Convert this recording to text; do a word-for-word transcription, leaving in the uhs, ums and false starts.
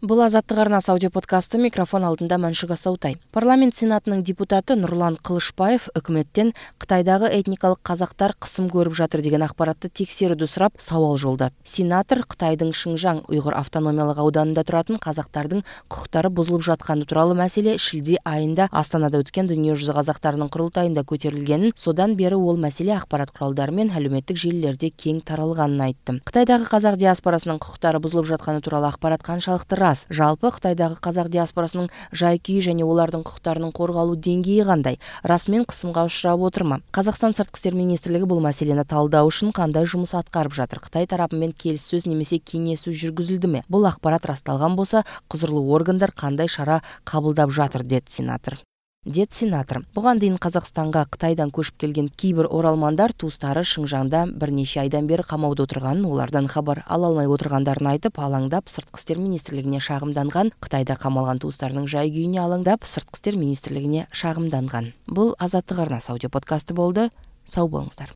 Бул Азаттык арнасы аудио подкасты, микрофон алдында Маншуга Саутай. Парламент сенатынын депутаты Нурлан Кылышбаев өкмөттөн Кытайдагы этникалык казактар кысым көрүп жатыр деген акпаратты текшерүүдү сурап сабал жолдады. Сенатор Кытайдын Шыңжаң уйгур автономиялык ауданында туратын казактардын укуктары бузулуп жатканы тууралуу маселе шилде айында Астанада өткөн Дүнүйө жүзү казактарынын курултайында көтөрүлгенин, содан бери ол маселе акпарат куралдары менен әлеуметтик желилерде кең таралганын айтты. Кытайдагы казак диаспорасынын укуктары бузулуп жатканы тууралуу акпарат канчалыкты рас? Жалпы Кытайдагы казак диаспорасынын жай-күйү және олардын укуктарынын корголуу деңгээи кандай? Расмин кысымга учурап отурма? Казакстан сырткы иштер министрлиги бул маселени талдоо үчүн кандай жумус аткарып жатыр? Кытай тарапы менен келиссөз немесе кеңешүү жүргүзүлдүмү? Бул акпарат расталган болсо, кузурлуу органдар кандай чара кабылдап жатыр, деді сенатор. Дед сенатор. Буган дейин Казакстанга Кытайдан көчүп келген кийбир оралмандар туустары Шыңжаңда бир нече айдан бери камауда отурганын, олардан кабар ала алмай отургандарын айтып, алаңдап сырткы иштер министрлигине шагымданган. Кытайда камалган туустарынын жай-күйүнө алаңдап сырткы иштер министрлигине шагымданган. Бул Азаттык арнасы аудио подкасты болду. Сау болуңуздар.